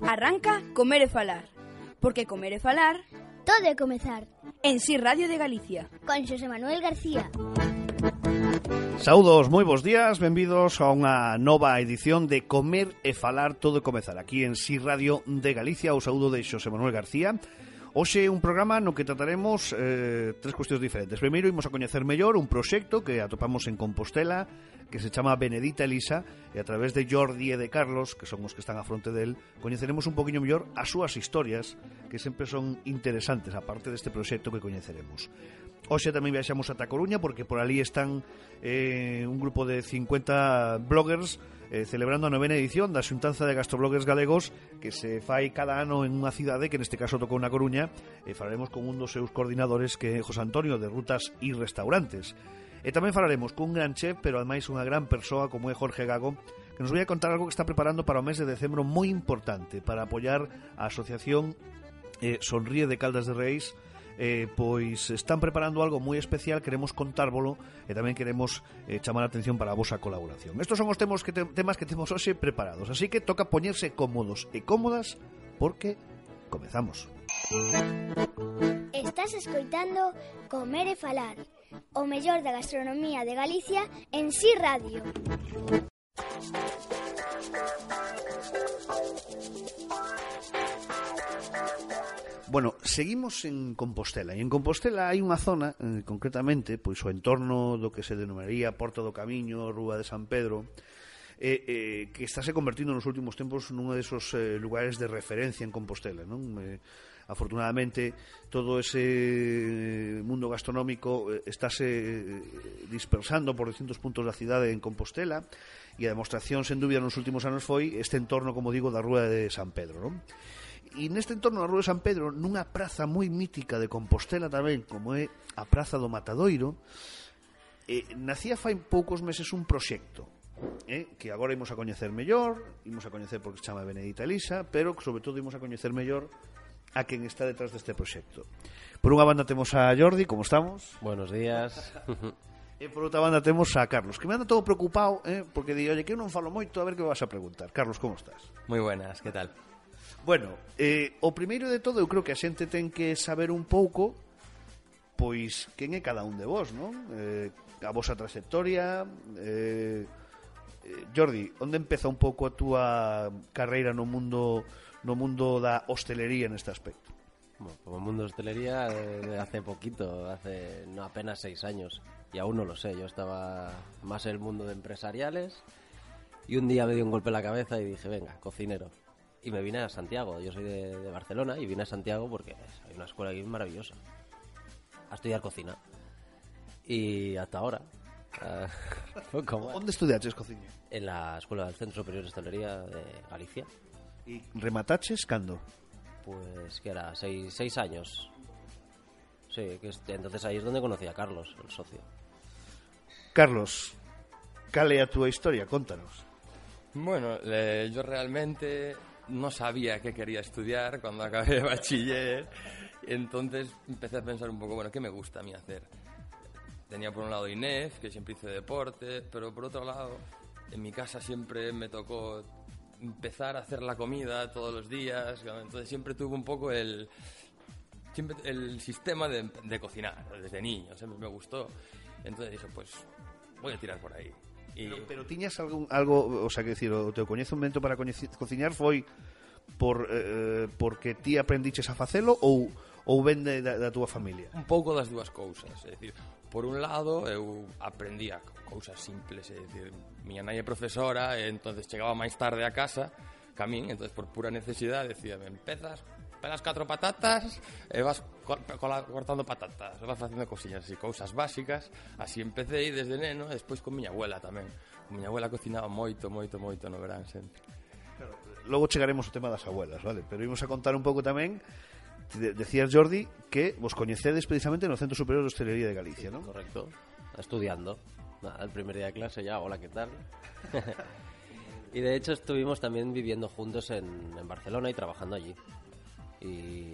Arranca Comer e Falar, porque comer e falar todo é comezar. En Si Radio de Galicia. Con Xosé Manuel García. Saúdos, moi bons días, benvidos a unha nova edición de Comer e Falar todo e comezar aquí en Si Radio de Galicia. O saúdo de Xosé Manuel García. Hoxe un programa no que trataremos tres cuestións diferentes. Primeiro, imos a coñecer mellor un proxecto que atopamos en Compostela, que se chama Benedita Elisa, e a través de Jordi e de Carlos, que son os que están á fronte del, coñeceremos un poquinho mellor as súas historias, que sempre son interesantes, aparte deste proxecto que coñeceremos. Hoxe tamén viaxamos ata Coruña, porque por ali están un grupo de 50 bloggers celebrando a 9ª edición da Xuntanza de Gastrobloggers Galegos, que se fai cada ano en unha cidade, que neste caso tocou na Coruña, e falaremos con un dos seus coordinadores, que é José Antonio, de Rutas e Restaurantes. E tamén falaremos cun gran chef, pero ademais unha gran persoa como é Jorge Gago, que nos vai a contar algo que está preparando para o mes de decembro moi importante, para apoiar a asociación Sonríe de Caldas de Reis. Pois están preparando algo moi especial, queremos contárvolo e tamén queremos chamar a atención para a vosa colaboración. Estos son os temas que temos hoxe preparados, así que toca poñerse cómodos e cómodas porque comezamos. Estás escoitando Comer e Falar, o mellor da gastronomía de Galicia en Si Radio. Bueno, seguimos en Compostela. E en Compostela hai unha zona, concretamente, pois o entorno do que se denominaría Porta do Camiño, Rúa de San Pedro, que estáse convertindo nos últimos tempos nun desos lugares de referencia en Compostela, non? Afortunadamente, todo ese mundo gastronómico estáse dispersando por distintos puntos da cidade en Compostela, e a demostración, sen dúbida, nos últimos anos foi este entorno, como digo, da Rúa de San Pedro, non? E neste entorno da Rúa de San Pedro, nunha praza moi mítica de Compostela tamén, como é a Praza do Matadoiro, nacía fai poucos meses un proxecto, que agora imos a coñecer mellor, imos a coñecer porque se chama Benedita Elisa, pero sobre todo imos a coñecer mellor a quen está detrás deste proxecto. Por unha banda temos a Jordi, como estamos? Buenos días. E por outra banda temos a Carlos, que me anda todo preocupado, porque di, oye, que eu non falo moito, a ver que vas a preguntar. Carlos, como estás? Moi buenas, que tal? Bueno, o primeiro de todo, eu creo que a xente ten que saber un pouco, pois, quen é cada un de vos, non? A vosa trayectoria. Jordi, onde empeza un pouco a túa carreira no mundo da hostelería neste aspecto? Bueno, como mundo de hostelería, hace poquito, hace no apenas 6 años, y aún no lo sé. Yo estaba más en el mundo de empresariales, y un día me dio un golpe en la cabeza y dije, venga, cocinero. Y me vine a Santiago. Yo soy de Barcelona y vine a Santiago porque hay una escuela aquí maravillosa a estudiar cocina. Y hasta ahora ¿Onde estudiaches cocina? En la escuela del Centro Superior de Hostelería de Galicia. ¿Y remataches cando? Pues que era 6 años. Sí, que entonces ahí es donde conocí a Carlos, el socio. Carlos, cal é a túa historia? Contanos. Bueno, yo realmente no sabía qué quería estudiar cuando acabé de bachiller, entonces empecé a pensar un poco, bueno, ¿qué me gusta a mí hacer? Tenía por un lado INEF, que siempre hice deporte, pero por otro lado, en mi casa siempre me tocó empezar a hacer la comida todos los días, entonces siempre tuve un poco el sistema de cocinar, desde niño, siempre me gustó, entonces dije, pues voy a tirar por ahí. Pero tiñas algo, o sea, que decir, o teu coñecemento para cociñar foi porque ti aprendiches a facelo ou ven da túa familia? Un pouco das dúas cousas, é dicir, por un lado eu aprendía cousas simples, é dicir, miña nai é profesora e entonces chegaba máis tarde a casa que a min, entonces por pura necesidade decía, empezas, pelas 4 patatas e vas cortando patatas, vas facendo cosillas así, cousas básicas, así empecé desde neno, e despois con miña abuela tamén. Con miña abuela cocinaba moito no verán sempre. Claro, logo chegaremos ao tema das abuelas, vale? Pero imos a contar un pouco tamén. Decías, Jordi, que vos coñecedes precisamente no Centro Superior de Hostelería de Galicia, ¿no? Correcto, estudiando. Nada, el primer día de clase ya, hola, ¿qué tal? Y de hecho estuvimos también viviendo juntos en Barcelona y trabajando allí. Y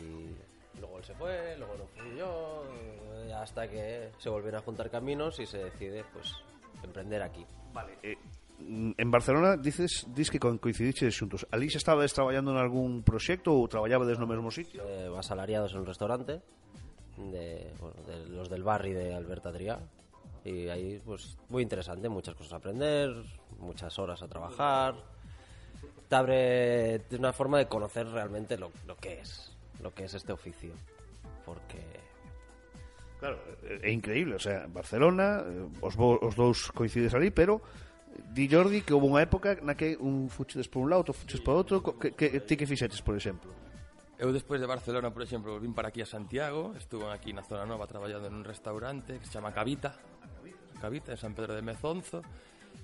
luego él se fue, luego no fui yo, hasta que se volvieron a juntar caminos y se decide pues emprender aquí. Vale, en Barcelona dis que coincidiches xuntos. Ali xa estabades traballando en algún proxecto ou traballabades no mesmo sitio? Asalariados en un restaurante de los del barri de Albert Adrià, y ahí pues muy interesante, muchas cosas a aprender, muchas horas a trabajar. Te abre una forma de conocer realmente lo que es este oficio, porque claro, é increíble, o sea, Barcelona, os dous coincides ali, pero di Jordi que houve unha época na que un fuchedes por un lado, outro fuchedes por outro. Ti que fixetes, por exemplo? Eu despois de Barcelona, por exemplo, vim para aquí a Santiago, estuve aquí na Zona Nova traballando en un restaurante que se chama Cavita, en San Pedro de Mezonzo.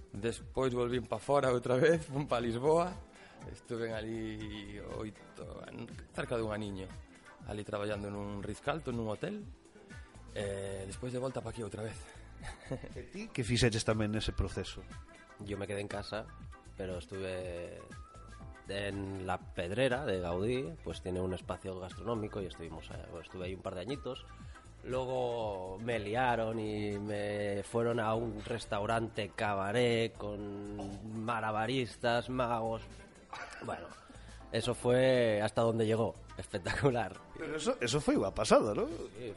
Despois volvín para fora outra vez, fun para Lisboa, estuve ali cerca de un aniño, ali traballando nun Ritz-Carlton, nun hotel, despois de volta para aquí outra vez. E ti que fixetes tamén nese proceso? yo me quedé en casa, pero estuve en La Pedrera de Gaudí, pues tiene un espacio gastronómico y estuve ahí un par de añitos. Luego me liaron y me fueron a un restaurante cabaret con malabaristas, magos. Bueno, eso fue hasta donde llegó. Espectacular. Pero eso fue igual pasado, ¿no? Sí,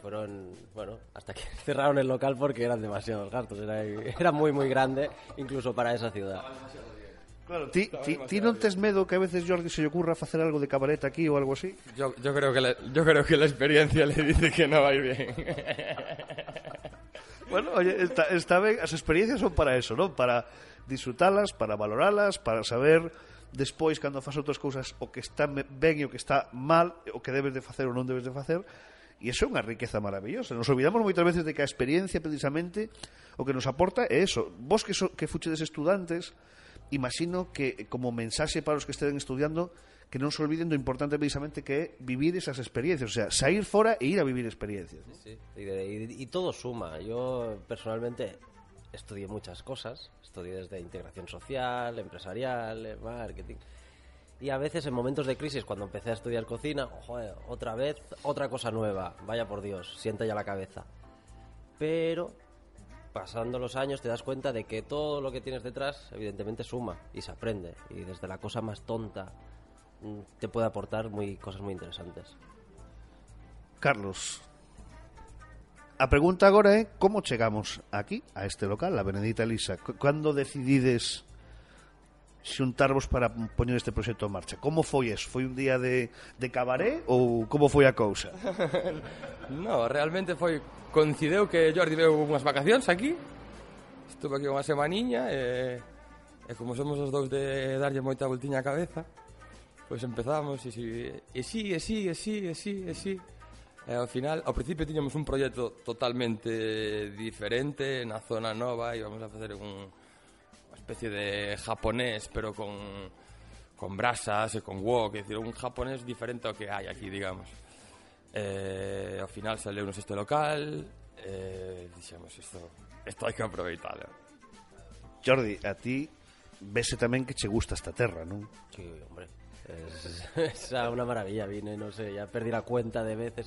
hasta que cerraron el local porque eran demasiados gastos. Era muy, muy grande, incluso para esa ciudad. Claro, ti non tes medo que a veces Jordi se lle ocurra facer algo de cabaret aquí ou algo así? Yo creo que la experiencia le dice que no va a ir bien. Bueno, oye, está ben, as experiencias son para eso, ¿no? Para disfrutalas, para valoralas, para saber despois cando faz outras cousas o que está ben e o que está mal, o que debes de facer ou non debes de facer. E iso é unha riqueza maravillosa. Nos olvidamos moitas veces de que a experiencia precisamente o que nos aporta é eso. Vos que fuchedes estudantes, imagino que como mensaxe para os que estén estudiando, que non se olviden do importante precisamente que é vivir esas experiencias, o sea, sair fora e ir a vivir experiencias, ¿no? Sí. Y todo suma. Yo personalmente estudié muchas cosas, estudié desde integración social, empresarial, marketing, y a veces en momentos de crisis, cuando empecé a estudiar cocina, joder, otra vez, otra cosa nueva, vaya por Dios, sienta ya la cabeza. Pero pasando los años te das cuenta de que todo lo que tienes detrás evidentemente suma y se aprende, y desde la cosa más tonta te puede aportar cosas muy interesantes. Carlos, a pregunta agora é como chegamos aquí, a este local, a Benedita Elisa. Cando decidides xuntarvos para poñer este proxecto en marcha? Como foi eso? Foi un día de cabaré ou como foi a cousa? No, realmente coincideu que Jordi veu unhas vacacións aquí. Estuve aquí unha semaniña e como somos os dous de darlle moita voltiña á cabeza, pois empezamos e sí. E ao final, ao principio tiñamos un proxecto totalmente diferente na Zona Nova, íbamos a facer unha especie de japonés, pero con brasas e con wok, é dicir, un japonés diferente ao que hai aquí, digamos. Ao final saleunos este local, dixemos, isto hai que aproveitarlo. Jordi, a ti vese tamén que che gusta esta terra, non? Sí, hombre. Es una maravilla, vine, no sé, ya perdí la cuenta de veces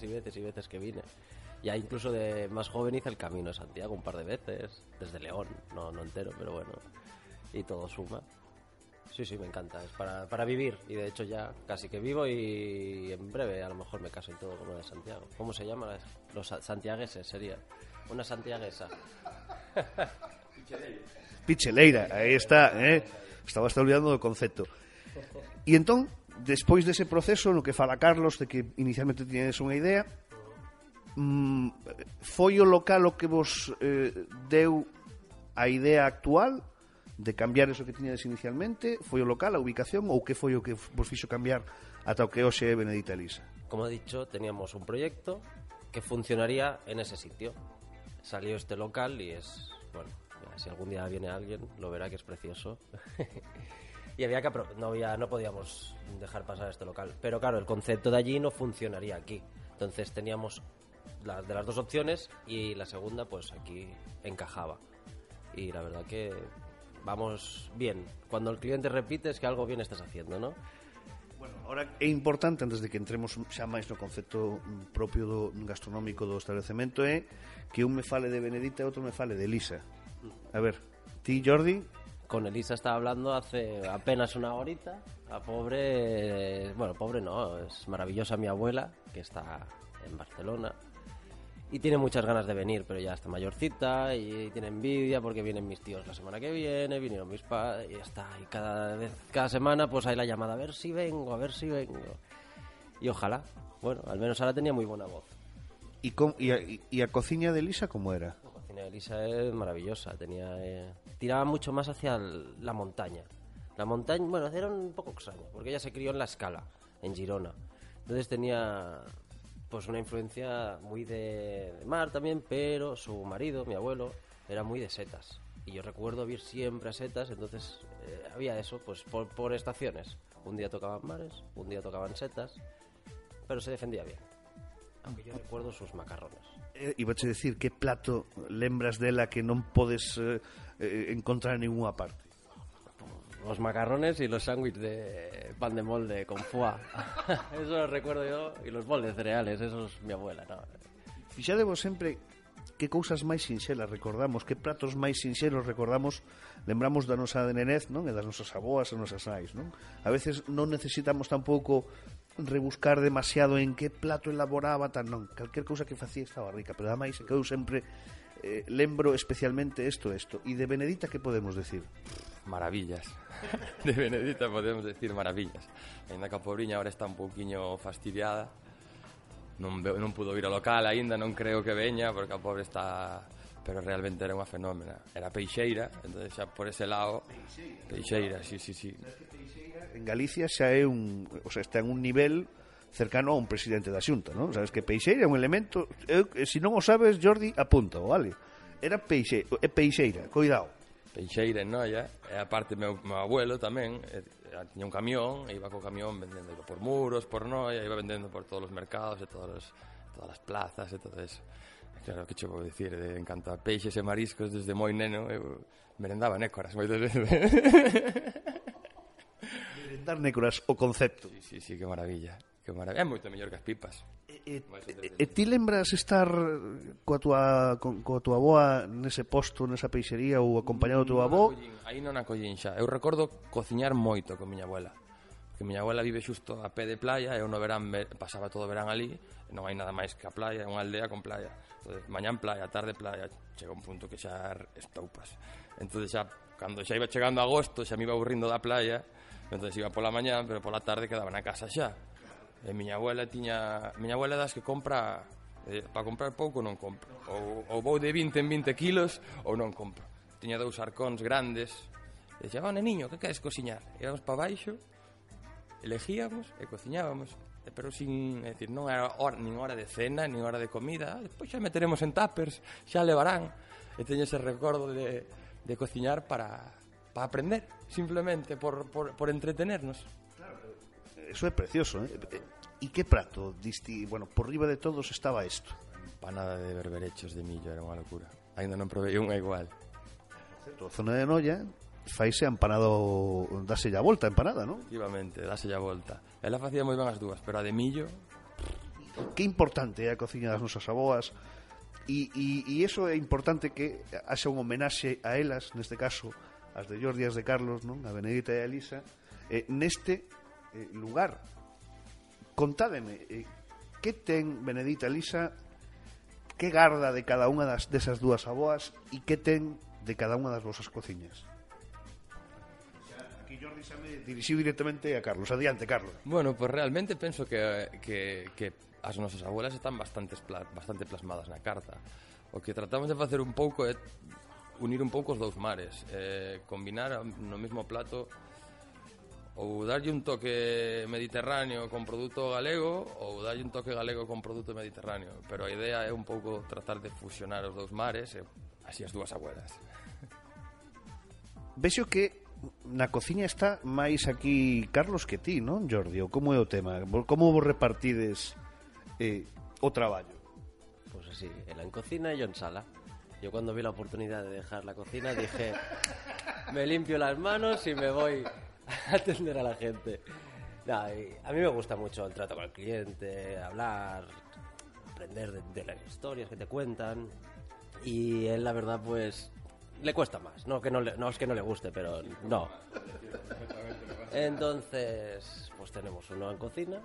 que vine. Ya incluso de más joven hice el camino de Santiago un par de veces, desde León, no entero, pero bueno, y todo suma. Sí, me encanta, es para vivir, y de hecho ya casi que vivo, y en breve a lo mejor me caso y todo como de Santiago. ¿Cómo se llama? Los santiagueses sería, una santiaguesa. Picheleira, aí está, estaba olvidando do concepto. E entón, despois dese proceso no que fala Carlos, de que inicialmente tiñades unha idea, foi o local o que vos deu a idea actual de cambiar eso que tiñades inicialmente? Foi o local, a ubicación, ou que foi o que vos fixo cambiar ata o que hoxe é Benedita Elisa? Como he dicho, teníamos un proyecto que funcionaría en ese sitio. Salió este local y es, bueno, si algún día viene alguien lo verá que es precioso. Y había que no podíamos dejar pasar este local. Pero claro, el concepto de allí no funcionaría aquí. Entonces teníamos de las dos opciones y la segunda pues aquí encajaba. Y la verdad que vamos bien. Cuando el cliente repite es que algo bien estás haciendo, ¿no? Bueno, ahora é importante, antes de que entremos xa máis no concepto propio do gastronómico do establecemento, é que un me fale de Benedita e outro me fale de Elisa. A ver, Ti, Jordi? Con Elisa estaba hablando hace apenas una horita. La pobre... Bueno, pobre no, es maravillosa mi abuela, que está en Barcelona. Y tiene muchas ganas de venir, pero ya está mayorcita y tiene envidia porque vienen mis tíos la semana que viene, vinieron mis padres y ya está. Y cada semana pues hay la llamada, a ver si vengo. Y ojalá. Bueno, al menos ahora tenía muy buena voz. E a cociña de Elisa como era? La cocina de Elisa es maravillosa. Tiraba mucho más hacia la montaña. La montaña, bueno, era un poco extraño, porque ella se crió en La Escala, en Girona. Entonces tenía pues una influencia muy de mar también, pero su marido, mi abuelo, era muy de setas. Y yo recuerdo ir siempre a setas, entonces había eso, pues por estaciones. Un día tocaban mares, un día tocaban setas, pero se defendía bien. Aunque yo recuerdo sus macarrones. Ibache decir, que plato lembras dela que non podes encontrar en ninguna parte? Los macarrones y los sándwiches de pan de molde con foie. Eso lo recuerdo yo. Y los bols de cereales, eso es mi abuela, ¿no? Fixadevos sempre que cousas máis sinxelas recordamos, que pratos máis sinxelos recordamos, lembramos da nosa nenez, non? E das nosas aboas e nosas nais, non? A veces non necesitamos tampouco rebuscar demasiado en que plato elaboraba, tan non. Calquer cousa que facía estaba rica, pero ademais que eu sempre lembro especialmente isto. E de Benedita, que podemos decir? Maravillas. De Benedita podemos decir maravillas. Ainda que a pobriña ahora está un pouquiño fastidiada. Non pudo ir ao local aínda, non creo que veña, porque a pobre está... Pero realmente era unha fenómena. Era peixeira, entón xa por ese lado... Peixeira, sí. En Galicia xa é está en un nivel cercano a un presidente da Xunta, non? Sabes que peixeira é un elemento... Se non o sabes, Jordi, apunta, vale? Era peixeira, cuidado. Peixeira en Noia, e aparte meu abuelo tamén tiña un camión, e iba co camión vendendo, iba por Muros, por Noia, iba vendendo por todos os mercados e todas as plazas e todo eso. Claro, que che vou dicir, en canto a peixes e mariscos, desde moi neno eu merendaba nécoras moitas veces. Merendar nécoras, o concepto. Sí, que maravilla. É moito mellor que as pipas. E ti lembras estar coa tua avoa nese posto, nesa peixería, ou acompañado do teu avó? Aí non a collín xa. Eu recordo cociñar moito con miña abuela. Porque miña abuela vive xusto a pé de playa, e eu no verán pasaba todo o verán ali, e non hai nada máis que a playa, é unha aldea con playa. Entonces, mañán playa, tarde playa, chega un punto que xa estoupas. Entonces xa, cando xa iba chegando agosto, xa me iba aburrindo da playa, entonces iba pola mañán, pero pola tarde quedaba na casa xa. E miña abuela das que compra para comprar pouco non compro, ou vou de 20 en 20 kilos ou non compro. Tiña 2 arcóns grandes e dixía, neniño, que queres cociñar? Íbamos para baixo, elegíamos e cociñábamos, pero sin, é dicir, non era nin hora de cena, nin hora de comida. Despois xa meteremos en tuppers, xa levarán. E teño ese recordo de cociñar para aprender, simplemente por entretenernos. Eso é precioso, E que prato diste? Bueno, por riba de todos estaba isto. Empanada de berberechos de millo, era unha locura. Ainda non provei unha igual. A zona de Noia faise empanado, dáselle a volta a empanada, non? Efectivamente, dáselle a volta. Ela facía moi ben as dúas, pero a de millo... Que importante é a cociña das nosas aboas, e iso é importante que haxa un homenaxe a elas, neste caso, as de Jordi e as de Carlos, non? A Benedita e a Elisa, neste lugar. Contádeme, que ten Benedita e Elisa, que garda de cada unha desas dúas aboas e que ten de cada unha das vosas cociñas? Aquí Jordi xa me dirixiu directamente a Carlos. Adiante, Carlos. Bueno, pues realmente penso que as nosas abuelas están bastante plasmadas na carta. O que tratamos de facer un pouco é unir un pouco os dous mares, combinar no mesmo plato, ou darlle un toque mediterráneo con produto galego, ou darlle un toque galego con produto mediterráneo, pero a idea é un pouco tratar de fusionar os dous mares e así as dúas abuelas. Vexo que na cociña está máis aquí Carlos que ti, non, Jordi? Ou como é o tema? Como vos repartides o traballo? Pues así, él en cocina y yo en sala. Yo cuando vi la oportunidad de dejar la cocina dije, me limpio las manos y me voy a atender a la gente. No, a mí me gusta mucho el trato con el cliente, hablar, aprender de las historias que te cuentan. Y él, la verdad, pues le cuesta más. No es que no le guste, pero no. Entonces, pues tenemos uno en cocina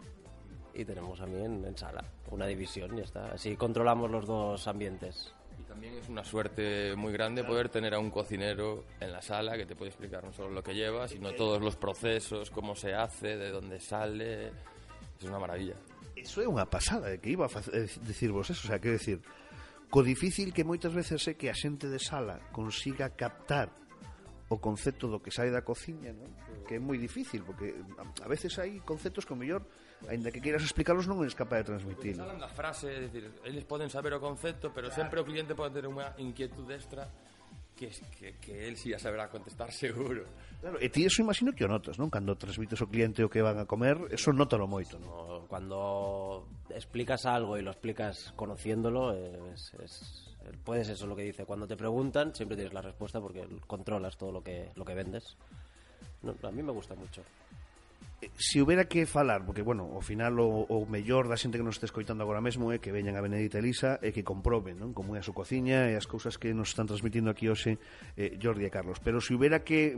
y tenemos a mí en sala. Una división y ya está. Así controlamos los dos ambientes. Y también es una suerte muy grande poder tener a un cocinero en la sala que te puede explicar no solo lo que lleva, sino todos los procesos, cómo se hace, de dónde sale. Es una maravilla. Eso é unha pasada, que iba a dicirvos eso, o sea, quero decir, co difícil que moitas veces é que a xente de sala consiga captar o concepto do que sai da cociña, ¿no? Que é moi difícil, porque a veces hai conceptos que o mellor, aínda que queiras explicarlos, non eres capaz de transmitir. Falan da frase, é dicir, eles poden saber o concepto, pero sempre o cliente pode ter unha inquietud extra que él sí a saberá contestar seguro. Claro, e ti eso imagino que o notas, non? Cando transmites ao cliente o que van a comer, eso nótalo moito, non? Cuando explicas algo y lo explicas conociéndolo, puedes eso lo que dice. Cuando te preguntan, siempre tienes la respuesta porque controlas todo lo que vendes. No, a mí me gusta mucho. Se houbera que falar, porque, bueno, ao final o mellor da xente que nos está escoitando agora mesmo é que veñan a Benedita Elisa e que comproben, non? Como é a súa cociña e as cousas que nos están transmitindo aquí hoxe Jordi e Carlos. Pero se houbera que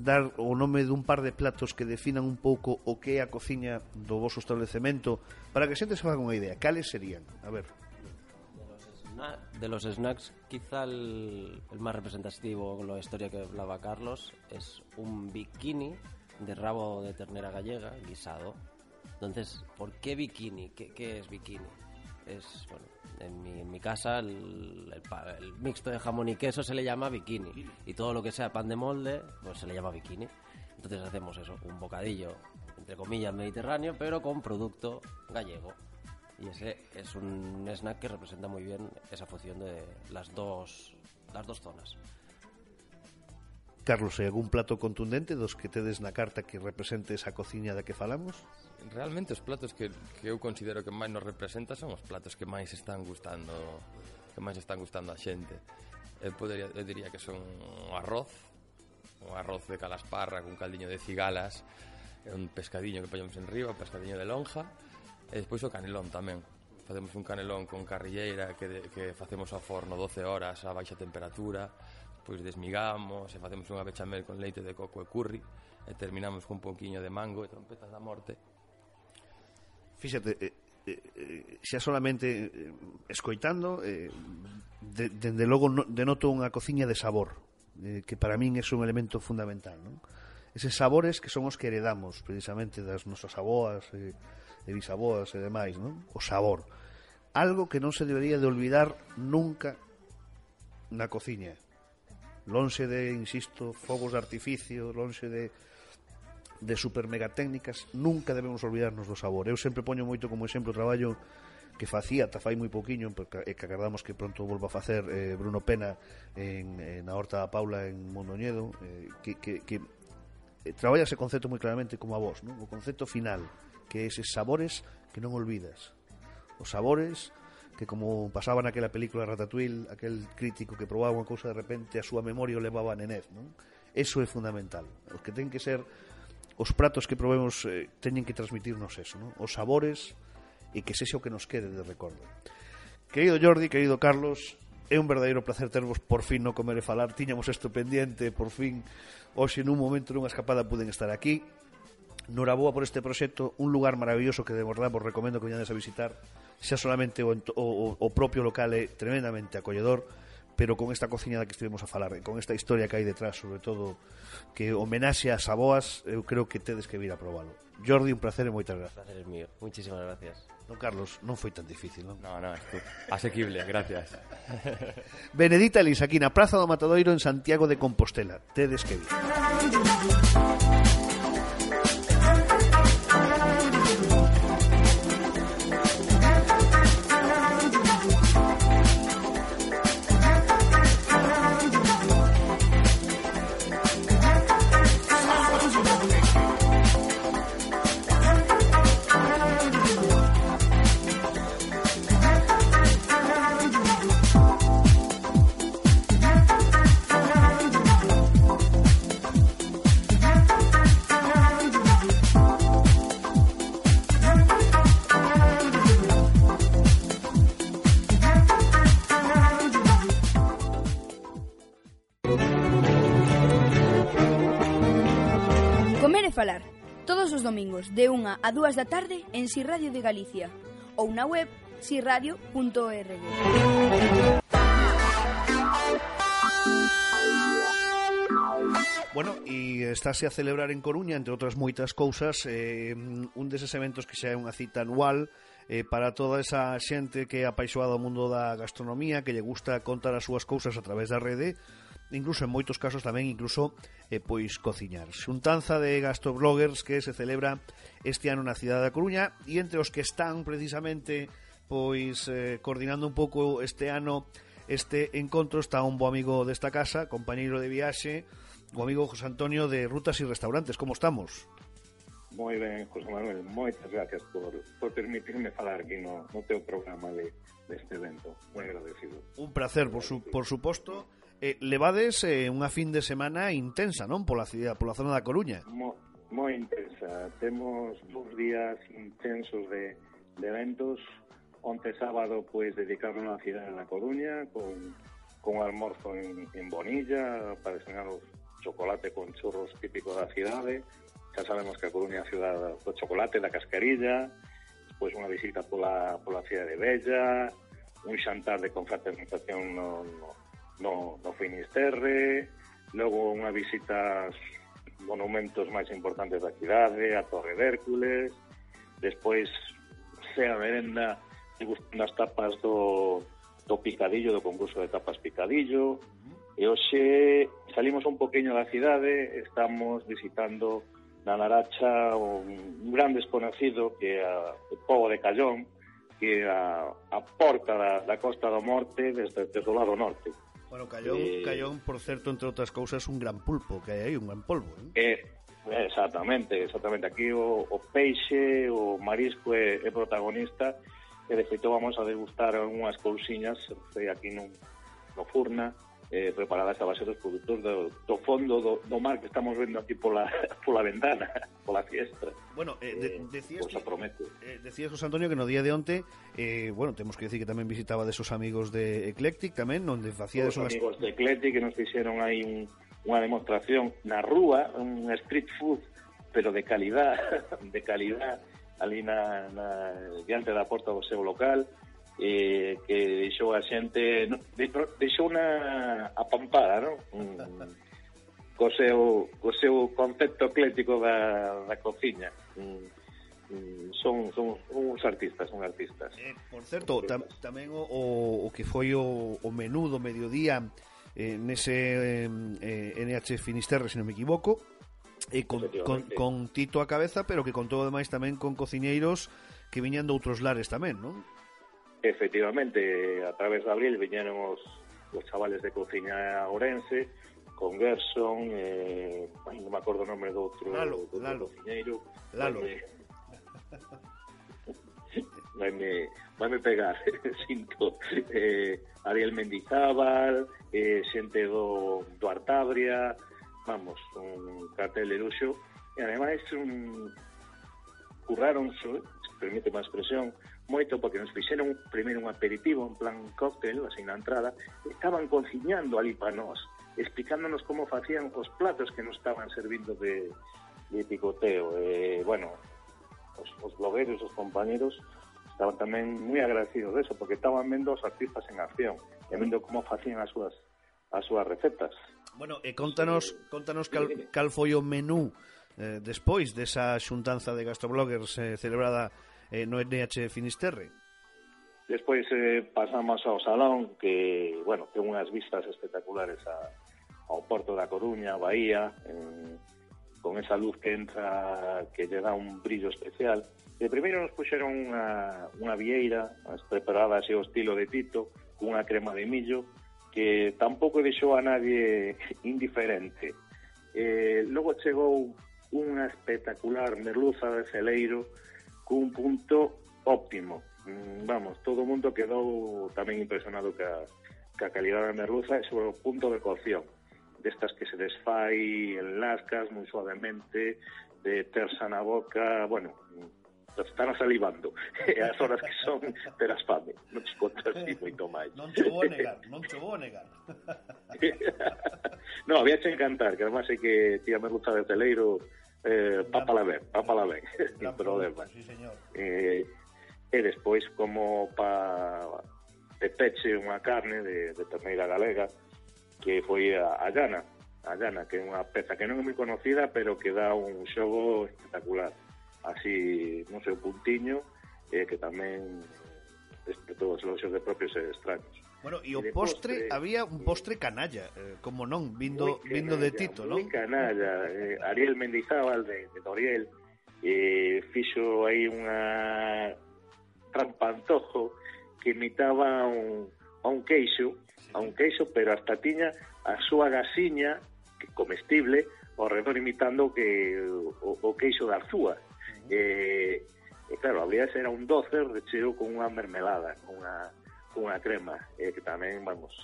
dar o nome dun par de platos que definan un pouco o que é a cociña do vosso establecemento, para que a xente se faga unha idea, cales serían? A ver. De los snacks, quizá el más representativo con la historia que hablaba Carlos es un bikini de rabo de ternera gallega guisado. Entonces, ¿por qué bikini? ¿Qué es bikini? Es, bueno, en mi casa el mixto de jamón y queso se le llama bikini, y todo lo que sea pan de molde pues se le llama bikini. Entonces hacemos eso, un bocadillo entre comillas mediterráneo, pero con producto gallego, y ese es un snack que representa muy bien esa fusión de las dos zonas. Carlos, hai algún plato contundente dos que tedes na carta que represente esa cociña da que falamos? Realmente os platos que eu considero que máis nos representa son os platos que máis están gustando a xente. Eu diría que son un arroz de calasparra con caldiño de cigalas, un pescadiño que poñemos en riba, un pescadiño de lonja, e despois o canelón tamén. Facemos un canelón con carrilleira que facemos ao forno 12 horas a baixa temperatura. Pois desmigamos e facemos unha bechamel con leite de coco e curry e terminamos con un pouquiño de mango e trompetas da morte. Fíxate, xa solamente escoitando, dende logo denoto unha cociña de sabor, que para min é un elemento fundamental, non? Eses sabores que son os que heredamos precisamente das nosas aboas e bisaboas e demais, non? O sabor, algo que non se debería de olvidar nunca na cociña. Lonxe de, insisto, fogos de artificio, lonxe de super mega técnicas, nunca debemos olvidarnos do sabor. Eu sempre poño moito como exemplo o traballo que facía, ata fai moi pouquiño, e que agardamos que pronto volva a facer Bruno Pena na Horta da Paula en Mondoñedo, que traballa ese concepto moi claramente como a vos, non? O concepto final, que é eses sabores que non olvidas. Os sabores que, como pasaba naquela película Ratatouille, aquel crítico que probaba unha cousa de repente a súa memoria o levaba a nenez, non? Eso é fundamental. Os que ten que ser os pratos que probemos teñen que transmitirnos eso, non? Os sabores, e que sexa o que nos quede de recordo. Querido Jordi, querido Carlos, é un verdadeiro placer tervos por fin no Comer e Falar. Tiñamos isto pendiente, por fin hoxe nun momento nunha escapada puden estar aquí. Noraboa por este proxecto, un lugar maravilloso que de verdade vos recomendo que veñades a visitar. Xa solamente o propio local é tremendamente acolledor, pero con esta cociña da que estivemos a falar, con esta historia que hai detrás, sobre todo que homenaxe ás aboas, eu creo que tedes que vir a probalo. Jordi, un placer e moitas gracias. El placer es mío, muchísimas gracias. Don Carlos, non foi tan difícil, non? No, asequible, gracias. Benedita Elisa, aquí na Praza do Matadoiro en Santiago de Compostela. Tedes que vir. Comer e falar, todos os domingos de 1 a 2 da tarde en Si Radio de Galicia ou na web siradio.org. Bueno, e estáse a celebrar en Coruña, entre outras moitas cousas, un deses eventos que xa é unha cita anual para toda esa xente que é apaixoada ao mundo da gastronomía, que lle gusta contar as súas cousas a través da rede, incluso en moitos casos tamén pois cociñar. Xuntanza de gastrobloggers que se celebra este ano na cidade da Coruña, e entre os que están precisamente pois coordinando un pouco este ano este encontro está un bo amigo desta casa, compañeiro de viaxe, o amigo José Antonio de Rutas y Restaurantes. Como estamos? Moi ben, José Manuel, moitas gracias por permitirme falar aquí no teu programa deste evento. Moi agradecido. Un placer, por suposto. Levades unha fin de semana intensa, non? Pola zona da Coruña. Moi intensa. Temos 2 días intensos de eventos. Onte sábado, pois, dedicarnos na cidade da Coruña con almorzo en Bonilla para enseñar os chocolate con churros típico da cidade. Xa sabemos que a Coruña é a cidade do chocolate, da cascarilla. Despois unha visita pola cidade de Bella, un xantar de confraternización no Finisterre, logo unha visita aos monumentos máis importantes da cidade, a Torre de Hércules, despois sea merenda degustando as tapas do Picadillo, do concurso de tapas Picadillo. E hoxe salimos un poquinho da cidade, estamos visitando na Naracha un gran desconocido que é o pobo de Callón, que é a porta da Costa do Morte desde o lado norte. Bueno, Callón, por certo, entre outras cousas, un gran pulpo, que hai aí, un gran polvo. Exactamente. Aquí o peixe, o marisco é protagonista, e de feito vamos a degustar unhas cousiñas aquí no Furna, preparadas a base dos produtos do fondo do mar que estamos vendo aquí pola ventana, pola fiesta. Bueno, decías José Antonio que no día de onte temos que decir que tamén visitaba desos amigos de Eclectic tamén, onde facíades os amigos de Eclectic que nos fixeron aí unha demostración na rúa, un street food pero de calidad ali diante da porta do seu local, que deixou a xente deixou unha apampada, non? Co seu concepto eclético da cociña. Son uns artistas. Por certo, tamén o que foi o menú do mediodía nese NH Finisterre, se non me equivoco, con Tito a cabeza, pero que contou ademais tamén con cociñeiros que viñan de outros lares tamén, non? Efectivamente, a través de abril viñeron os chavales de cociña orense, con Gerson, non me acordo o nome do outro cociñeiro. Lalo. Vaime pegar, sinto. Ariel Mendizábal, xente do Artabria, vamos, un cartel de luxo, e ademais curraron, permíteme a expresión, moito porque nos fixeron primeiro un aperitivo en plan cóctel, así na entrada, estaban cociñando ali para nós, explicándonos como facían os platos que nos estaban servindo de picoteo. Os blogueiros, os compañeros estaban tamén moi agradecidos de eso, porque estaban vendo os artistas en acción e vendo como facían as súas recetas. Bueno, contanos cal foi o menú despois desa xuntanza de gastrobloggers celebrada no NH Finisterre. Despois pasamos ao salón que, ten unhas vistas espectaculares ao Porto da Coruña, a Bahía, con esa luz que entra, que lle dá un brillo especial. E primeiro nos puxeron unha vieira preparada así ao estilo de Tito, con unha crema de millo, que tampouco deixou a nadie indiferente. Logo chegou unha espectacular merluza de celeiro cun punto óptimo. Vamos, todo o mundo quedou tamén impresionado ca calidad da merluza e sobre o punto de cocción, destas que se desfai en lascas moi suavemente, de tersa na boca, están salivando. E as horas que son, terás fame. Non te contas ni moito máis. Non te vou negar. No, había que encantar, que además é que tía merluza de celeiro pápala ben, sin problema. Sí, señor. E despois, como de peche unha carne de terneira galega, que foi a llana, que é unha peza que non é moi conocida, pero que dá un xogo espectacular. Así, non sei, un puntiño, que tamén despertou os eloxios de propios e extraños. Bueno, e o postre, había un postre canalla, como non, vindo de Tito, non? Moi canalla. Ariel Mendizábal de Doriel fixo aí unha trampantojo que imitaba a un queixo, pero hasta tiña a súa gasiña comestible ao redor imitando o queixo da Arzúa. E claro, habría era un doce recheo con unha mermelada, con unha crema, que tamén, vamos,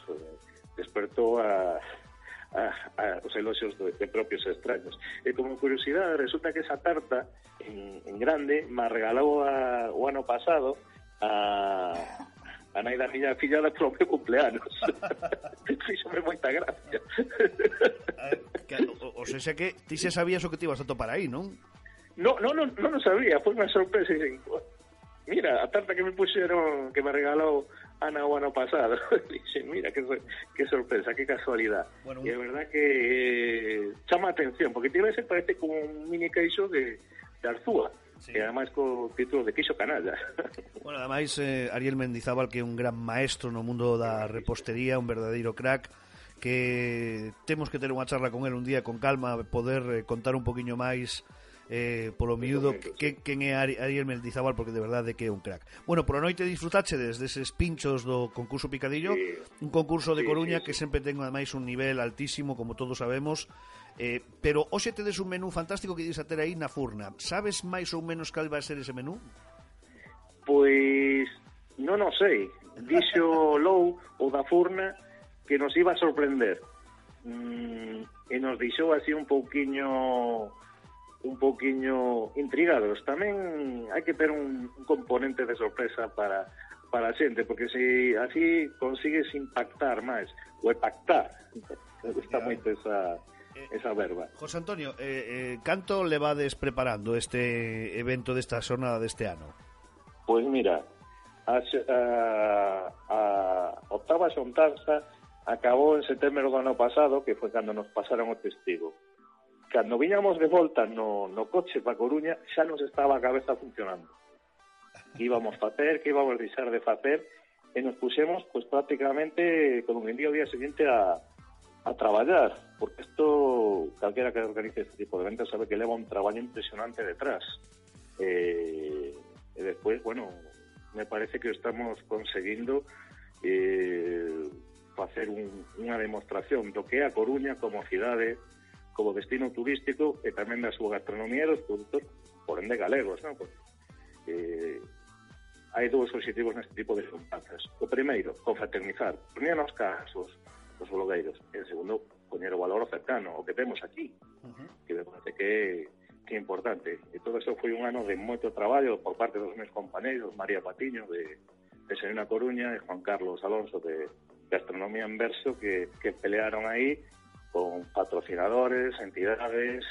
despertou os eloxios de propios extraños. E como curiosidade, resulta que esa tarta en grande me regalou o ano pasado a nai da miña fillada polo meu cumpleanos. Fíxome moita gracia. O sea que ti xa sabías o que te ibas a topar aí, non? Non sabía, foi unha sorpresa. Mira, a tarta que me puxeron, que me regalou Ana o ano pasado. Dixen, mira, que sorpresa, que casualidad. Bueno, e é verdad que chama a atención, porque ese parece como un mini queixo de Arzúa. Sí. E ademais co título de queixo canalla. Bueno, ademais Ariel Mendizábal, que é un gran maestro no mundo da repostería, un verdadeiro crack, que temos que ter unha charla con él un día con calma, poder contar un poquinho máis polo miúdo quen é Ariel Mendizábal, porque de verdade que é un crack. Bueno, por a noite disfrutáchedes deses pinchos do concurso Picadillo, un concurso de Coruña que sempre ten ademais un nivel altísimo, como todos sabemos. Pero hoxe tedes un menú fantástico que ides a ter aí na Furna. Sabes máis ou menos cal vai ser ese menú? Pois non o sei. Dixo Lou, o da Furna, que nos iba a sorprender. E nos dixou así un pouquiño intrigados. Tamén hai que ter un componente de sorpresa para a xente, porque se así consigues impactar máis, ou pactar. Me gusta moito esa verba. José Antonio, canto levades preparando este evento desta xornada deste ano? Pois mira, a octava xontanza acabou en setembro do ano pasado, que foi cando nos pasaron o testigo. Cando viñamos de volta no coche para Coruña, xa nos estaba a cabeza funcionando. Que íbamos facer, que íbamos deixar de facer, e nos puxemos pues prácticamente con un día o día seguinte a traballar, porque isto, calquera que organice este tipo de eventos sabe que leva un traballo impresionante detrás. E despois, bueno, me parece que estamos conseguindo facer unha demostración do que é a Coruña como cidade, como destino turístico, e tamén da súa gastronomía e dos produtos, por ende, galegos, non? Hai dous obxectivos neste tipo de xuntanzas. O primeiro, confraternizar, poñer nos casos os blogueiros, e o segundo, poñer o valor cercano, o que temos aquí, que me parece que é importante. E todo eso foi un ano de moito traballo por parte dos meus compañeiros, María Patiño, de Serena Coruña, e Juan Carlos Alonso, de Gastronomía en Verso, que pelearon aí con patrocinadores, entidades,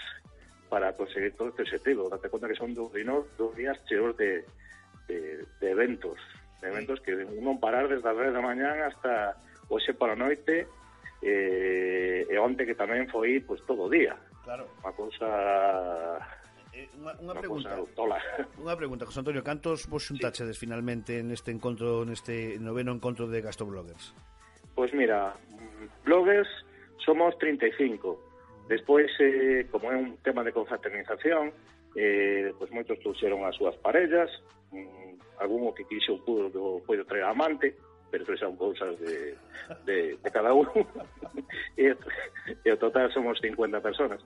para conseguir todo este objetivo. Date conta que son 2 días cheos de eventos que non parar desde as 10 da mañán hasta hoxe para a noite, e onte que tamén foi pues todo o día. Claro. Unha cousa unha pregunta, José Antonio, cantos vos xuntachedes finalmente neste encontro, neste noveno encontro de Gastrobloggers? Pois mira, bloggers somos 35. Despois, como é un tema de confraternización, pois moitos trouxeron as súas parellas, algún que quixo puido traer amante, pero eso son cousas de cada uno. E o total somos 50 personas.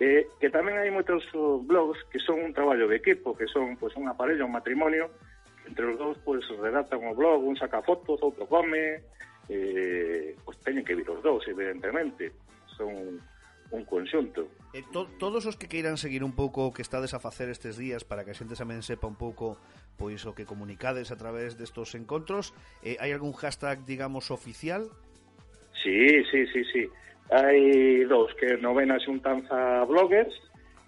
Que tamén hai moitos blogs que son un traballo de equipo, que son pues unha parella, un matrimonio, que entre os dous pues redactan o blog, un saca fotos, outro come, pues teñen que vir os dous, evidentemente. Son un conxunto. Todos os que queiran seguir un pouco o que estades a facer estes días, para que a xente tamén sepa un pouco pois o que comunicades a través destos encontros, hai algún hashtag, digamos, oficial? Sí. Hai dous, que novena xuntanza bloggers,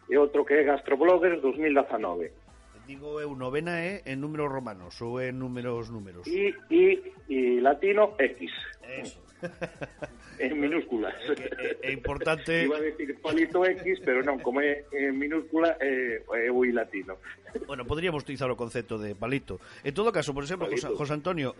e outro que é Gastrobloggers 2019. Digo eu, novena é en números romanos ou en números? E latino X. Eso. En minúsculas. É importante... Iba a decir palito X, pero non, como é en minúscula, é o I latino. Bueno, podríamos utilizar o concepto de palito. En todo caso, por exemplo, José Antonio,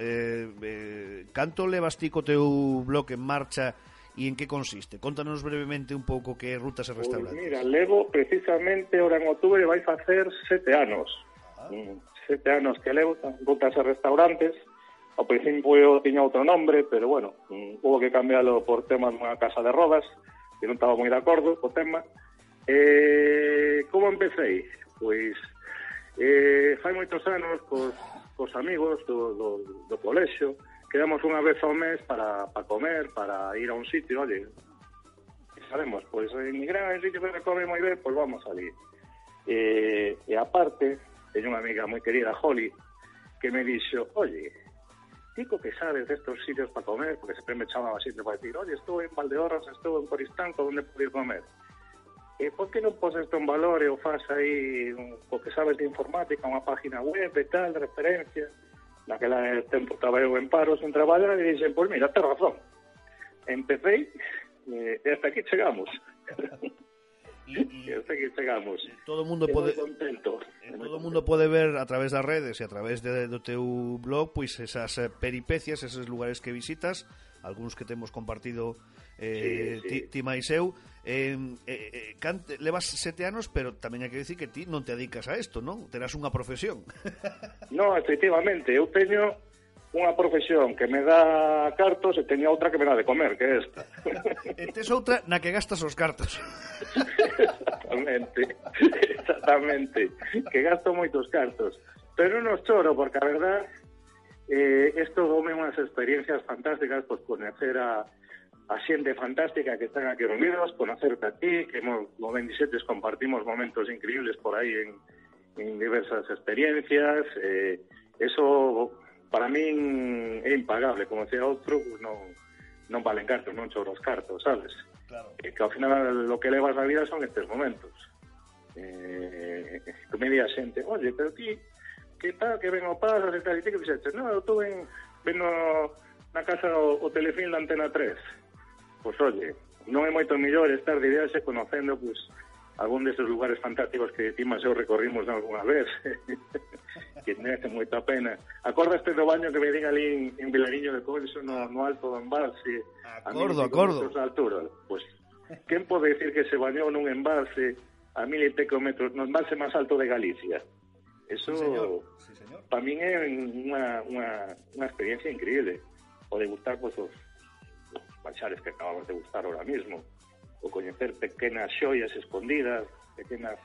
canto levas ti co teu blog en marcha e en que consiste? Contanos brevemente un pouco que rutas e restaurantes. Pues mira, levo precisamente, ahora en outubro vai facer 7 anos. 7 anos que levo, rutas e restaurantes. Ao principio eu tiña outro nombre, pero bueno, hubo que cambiarlo por tema dunha casa de rodas, que non estaba moi de acordo co tema. Como empecé? Pois fai moitos anos cos amigos do colexio, quedamos unha vez ao mes para comer, para ir a un sitio, oye, sabemos, pois en Nigrán hai un sitio que come moi ben, pois vamos a ir. E aparte, teño unha amiga moi querida, Holly, que me dixo, oye, tico que sabes destos sitios para comer, porque sempre me chamaba sitio para decir, oye, estou en Valdeorras, estou en Coristanco, onde poder comer? Por que non poses isto en valor e o faz aí o que sabes de informática, unha página web e tal, de referencia? Naquela tempo estaba eu en paro sen traballar e dixen, pois mira, ten razón. Empecé e hasta aquí chegamos. E hasta aquí chegamos. Todo o mundo pode ver a través das redes e a través do teu blog pois esas peripecias, esos lugares que visitas, algúns que temos compartido ti máis eu. Levas 7 anos, pero tamén hai que dicir que ti non te dedicas a isto, non? Terás unha profesión. No, efectivamente, eu teño unha profesión que me dá cartos e teño outra que me dá de comer, que é esta. E tes outra na que gastas os cartos. Exactamente, que gasto moitos cartos. Pero non os choro, porque a verdad, isto dome unhas experiencias fantásticas, pues conocer a xente fantástica que están aquí reunidos, conocerte a ti, que como ben dixetes, compartimos momentos increíbles por aí en diversas experiencias. Eso para min é impagable, como decía outro, pues non valen cartos, non choro os cartos, sabes? Claro. Que ao final lo que levas a vida son estes momentos. Que me di a xente, oye, pero ti, que tal, que ven o pasas e tal, e ti que fixetes? No, eu estou vendo na casa o Telefilm da Antena 3. Pois, oye, non é moito mellor estar de viaxe conocendo, pues, algún deses lugares fantásticos que ti máis eu recorrimos algunha vez, que merece moita pena. Acordaste do baño que me din ali en Vilariño de Conso, no alto do embalse? Acordo. Pois, quen pode decir que se bañou nun embalse a 1000 e pico metros, no embalse máis alto de Galicia? Eso, sí, señor. Para min é unha experiencia increíble. O degustar, pues, os baixares que acabamos de gustar ahora mismo, o coñecer pequenas xoias escondidas, pequenas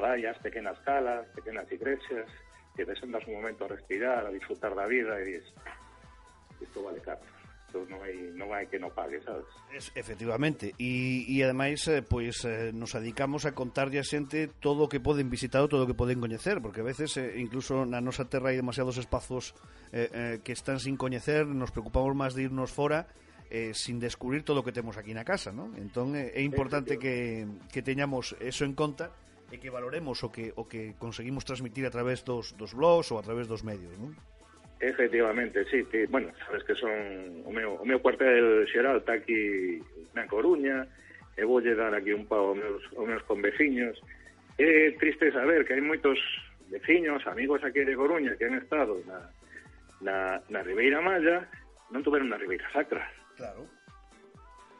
rayas, pequenas calas, pequenas iglesias, que te sentas un momento a respirar, a disfrutar da vida e dices, isto vale caro. Isto non hai que non pague, sabes? Efectivamente, e ademais nos dedicamos a contarlle a xente todo o que poden visitar, todo o que poden coñecer, porque a veces incluso na nosa terra hai demasiados espazos que están sin coñecer, nos preocupamos máis de irnos fora sin descubrir todo o que temos aquí na casa, ¿no? Entón é importante que teñamos eso en conta e que valoremos o que conseguimos transmitir a través dos blogs ou a través dos medios, ¿no? Efectivamente, sí, bueno, sabes que son o meu cuartel xeral está aquí na Coruña, e voulle dar aquí un pau aos meus conveciños. É triste saber que hai moitos veciños, amigos aquí de Coruña que han estado na Ribeira Maya, non tuveron na Ribeira Sacra. Claro.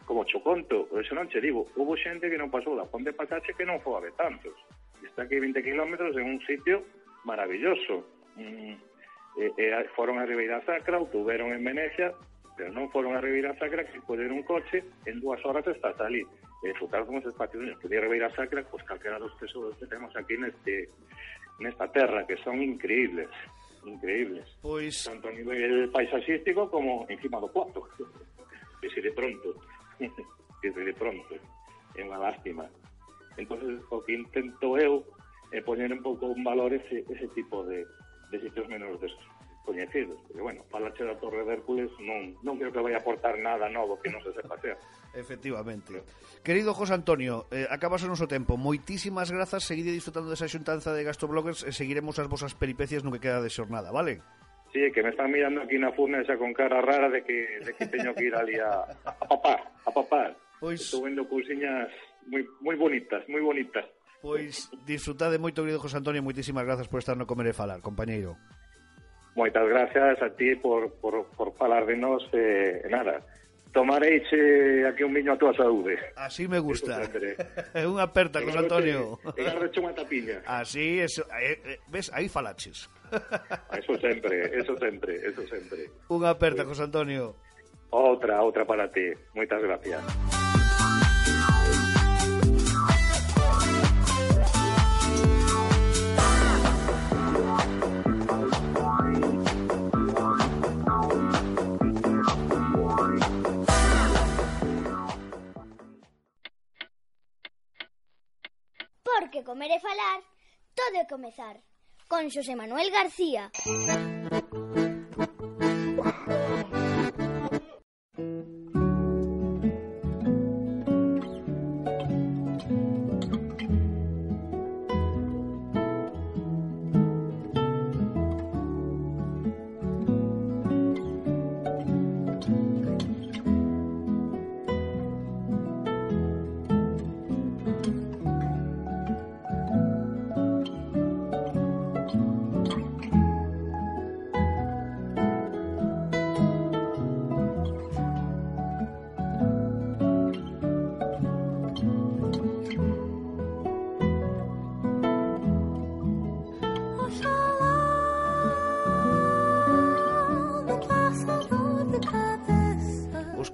Como cho conto, eso non che digo, hubo xente que non pasou da Ponte Patache que non foi a Betanzos. Está aquí 20 kilómetros en un sitio maravilloso. Foron a Ribeira Sacra, ou tuveron en Venecia, pero non foron a Ribeira Sacra, que poder un coche, en 2 horas estás ali. E disfrutar con os espacios que de Ribeira Sacra, pues calquera dos tesoros que temos aquí nesta terra, que son increíbles. Pois... Tanto a nivel paisaxístico como encima do Pozo. Que se de pronto é unha lástima. Entonces o que intento eu é poñer un pouco en valor ese tipo de sitios menos descoñecidos, porque bueno, falache da Torre de Hércules non creo que vai a aportar nada novo que non se sepa hacer. Efectivamente. Querido José Antonio, acabas o noso tempo. Moitísimas grazas, seguide disfrutando desa xuntanza de Gastrobloggers e seguiremos as vosas peripecias no que queda de xornada, vale? Sí, que me están mirando aquí na furna esa con cara rara de que teño que ir ali a papar. Pois... Estou vendo cousiñas moi bonitas, moi bonitas. Pois disfrutade moito, querido José Antonio, moitísimas grazas por estar no Comer e Falar, compañeiro. Moitas gracias a ti por falar de nós nada. Tomareiche aquí un viño a túa saúde. Así me gusta. Unha aperta, José Antonio. E garreche unha tapiña. Así, eso, ves, aí falaches. Eso sempre. Unha aperta, José Antonio. Outra para ti. Moitas gracias. Porque comer e falar, todo é comezar. Con Xosé Manuel García.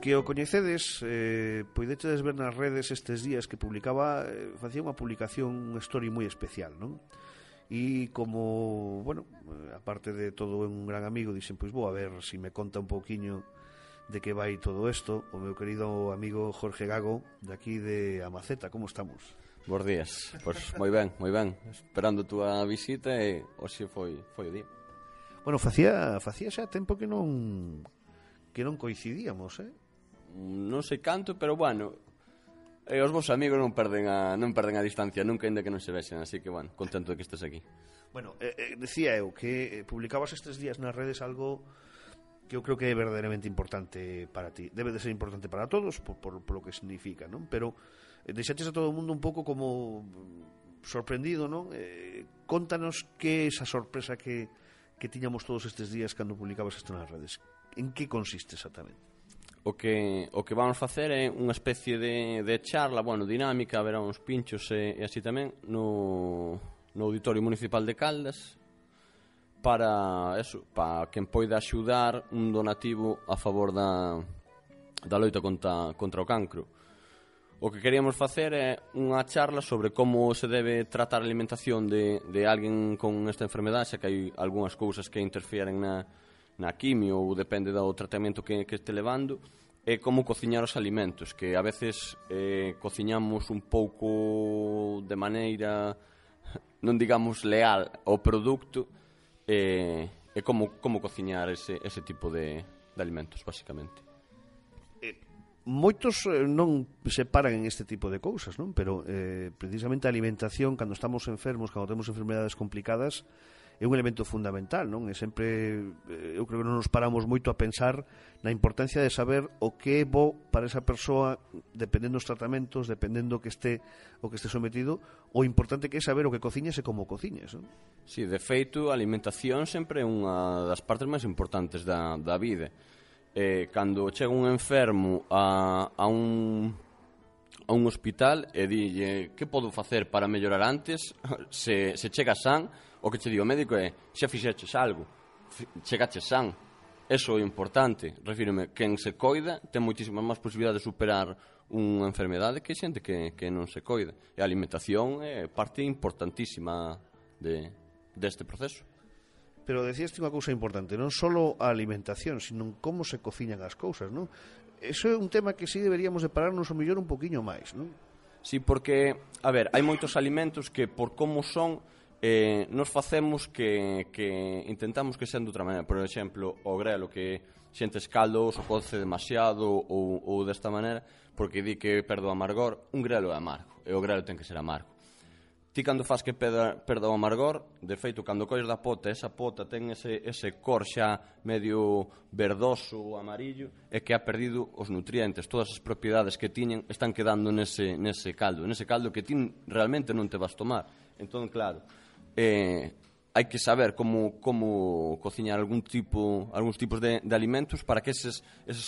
Que o coñecedes, poidedes ver nas redes estes días que publicaba, facía unha publicación, unha story moi especial, non? E como, bueno, aparte de todo un gran amigo, dixen, pois vou a ver se me conta un pouquiño de que vai todo isto o meu querido amigo Jorge Gago, de aquí de Amaceta. Como estamos? Bos días, pois moi ben, esperando a túa visita e hoxe foi o día. Bueno, facía xa tempo que non coincidíamos, Non sei canto, pero bueno, os vos amigos non perden a distancia nunca, ainda que non se vexen, así que bueno, contento de que estés aquí. Bueno, decía eu que publicabas estes días nas redes algo que eu creo que é verdadeiramente importante para ti. Debe de ser importante para todos por lo que significa, non? Pero deixaches a todo o mundo un pouco como sorprendido, non? Contanos que esa sorpresa que tiñamos todos estes días cando publicabas isto nas redes. En que consiste exactamente? O que vamos facer é unha especie de charla, bueno, dinámica, haberá uns pinchos e así tamén no Auditorio Municipal de Caldas para quen poida axudar un donativo a favor da loita contra o cancro. O que queríamos facer é unha charla sobre como se debe tratar a alimentación de alguén con esta enfermedade, xa que hai algunhas cousas que interfieren na quimio ou depende do tratamento que este levando, e como cociñar os alimentos, que a veces cociñamos un pouco de maneira, non digamos leal ao produto, e como cociñar ese tipo de alimentos, basicamente. Moitos non se paran en este tipo de cousas, non? Pero precisamente a alimentación, cando estamos enfermos, cando temos enfermedades complicadas, é un elemento fundamental, non? E sempre, eu creo que non nos paramos moito a pensar na importancia de saber o que é bo para esa persoa, dependendo dos tratamentos, dependendo o que este sometido, o importante que é saber o que cociñas e como cociñas, non? Sí, de feito, a alimentación sempre é unha das partes máis importantes da vida. Cando chega un enfermo a un hospital e dille que podo facer para mellorar antes, se chega san, o que che di o médico é xa fixeches algo, chegaches san. Eso é importante, refírome, quen se coida ten moitísimas máis posibilidades de superar unha enfermedade que xente que non se coida. E a alimentación é parte importantísima deste proceso. Pero decíaste unha cousa importante, non só a alimentación, sino como se cociñan as cousas, non? Eso é un tema que sí deberíamos de pararnos o mellor un poquinho máis, non? Sí, porque, a ver, hai moitos alimentos que por como son nos facemos que intentamos que sean de outra maneira. Por exemplo, o grelo que xentes caldo ou coce demasiado ou desta maneira, porque di que perde o amargor. Un grelo é amargo, e o grelo ten que ser amargo. Ti cando faz que perda o amargor, de feito, cando colles da pota, esa pota ten ese cor xa medio verdoso ou amarillo, é que ha perdido os nutrientes, todas as propiedades que tiñen están quedando nese caldo que ti realmente non te vas tomar. Entón, claro, hai que saber como cociñar algúns tipos de alimentos para que eses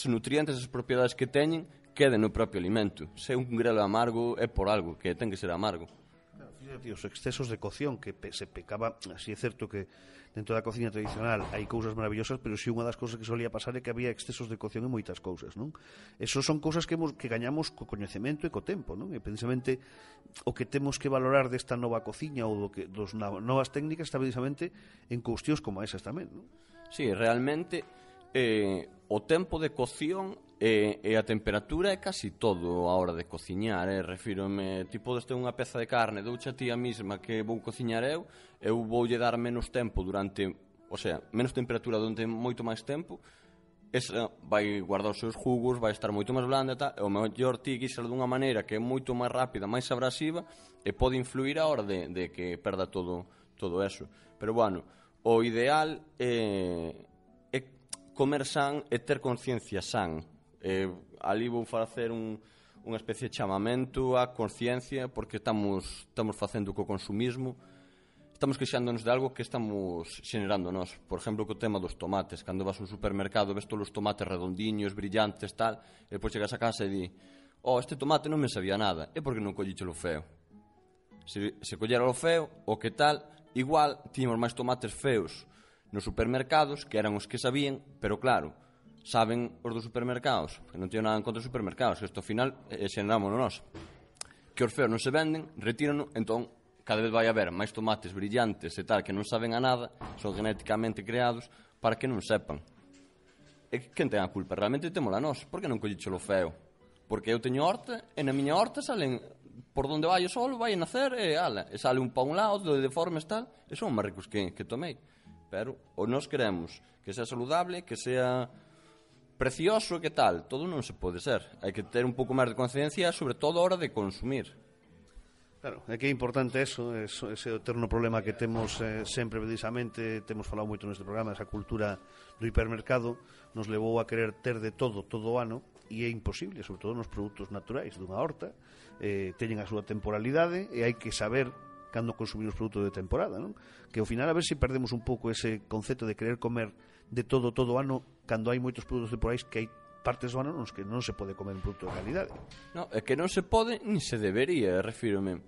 nutrientes, esas propiedades que teñen, queden no propio alimento. Se un grelo amargo é por algo, que ten que ser amargo. Os excesos de cocción que se pecaba, así é certo que dentro da cociña tradicional hai cousas maravillosas, pero si unha das cousas que solía pasar é que había excesos de cocción en moitas cousas, non? Eso son cousas que gañamos co coñecemento e co tempo, non? E precisamente o que temos que valorar desta nova cociña ou dos novas técnicas está precisamente en cuestións como esas tamén, non? Sí, realmente o tempo de cocción e a temperatura é casi todo a hora de cociñar, refírome, ti podes ter unha peza de carne, doucha ti a mesma que vou cociñar eu voulle dar menos tempo menos temperatura durante moito máis tempo, esa vai guardar os seus jugos, vai estar moito máis blanda e o mellor ti guisar dunha maneira que é moito máis rápida, máis abrasiva e pode influir a hora de que perda todo eso. Pero bueno, o ideal é comer san e ter conciencia san. Ali vou facer unha especie de chamamento á conciencia, porque estamos facendo co consumismo, estamos queixándonos de algo que estamos xenerando nós. Por exemplo, co tema dos tomates, cando vas a un supermercado ves todos os tomates redondiños, brillantes, tal, e depois chegas a casa e di, este tomate non me sabía nada, é porque non collichelo feo. Se collera o feo, o que tal, igual tiñamos máis tomates feos nos supermercados, que eran os que sabían, pero claro, saben os dos supermercados, que non teño nada en contra dos supermercados, que isto ao final xenerámonos nós, que os feos non se venden, retíranos, entón cada vez vai haber máis tomates brillantes e tal, que non saben a nada, son genéticamente creados para que non sepan. E quen ten a culpa? Realmente temola nós. Por que non collichelo feo? Porque eu teño horta, e na miña horta salen, por donde vai o sol, vai a nacer, e sale un pa un lado, de deformes tal, e son máis ricos que tomei. Pero o nós queremos que sea saludable, que sea precioso, que tal, todo non se pode ser. Hai que ter un pouco máis de conciencia, sobre todo a hora de consumir. Claro, é que é importante ese eterno problema que temos sempre, precisamente, temos falado moito neste programa, esa cultura do hipermercado nos levou a querer ter de todo o ano, e é imposible, sobre todo nos produtos naturais dunha horta, teñen a súa temporalidade e hai que saber cando consumir os produtos de temporada, non? Que ao final a ver se perdemos un pouco ese concepto de querer comer de todo o ano, cando hai moitos produtos temporais que hai partes do ano nos que non se pode comer un produto de calidade. No, é que non se pode ni se debería, refírome.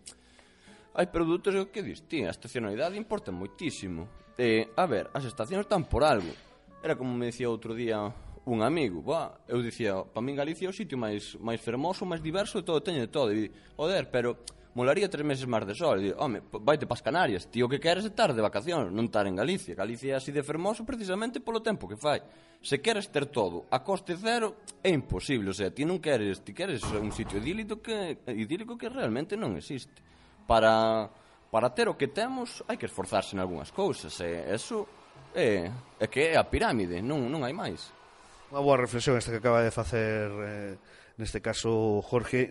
Hai produtos que dis, a estacionalidade importa moitísimo. A ver, as estacións están por algo. Era como me dicía outro día un amigo, eu dicía, para min Galicia é o sitio máis fermoso, máis diverso, e todo teño de todo. E joder, pero molaría 3 meses máis de sol. E home, vaite pas Canarias, tío, que queres estar de vacacións, non estar en Galicia. Galicia é así de fermoso precisamente polo tempo que fai. Se queres ter todo a coste cero, é imposible. O sea, ti non queres, ti queres un sitio idílico que realmente non existe. Para ter o que temos, hai que esforzarse en algunhas cousas. Eso é que é a pirámide, non hai máis. Unha boa reflexión esta que acaba de facer neste caso Jorge,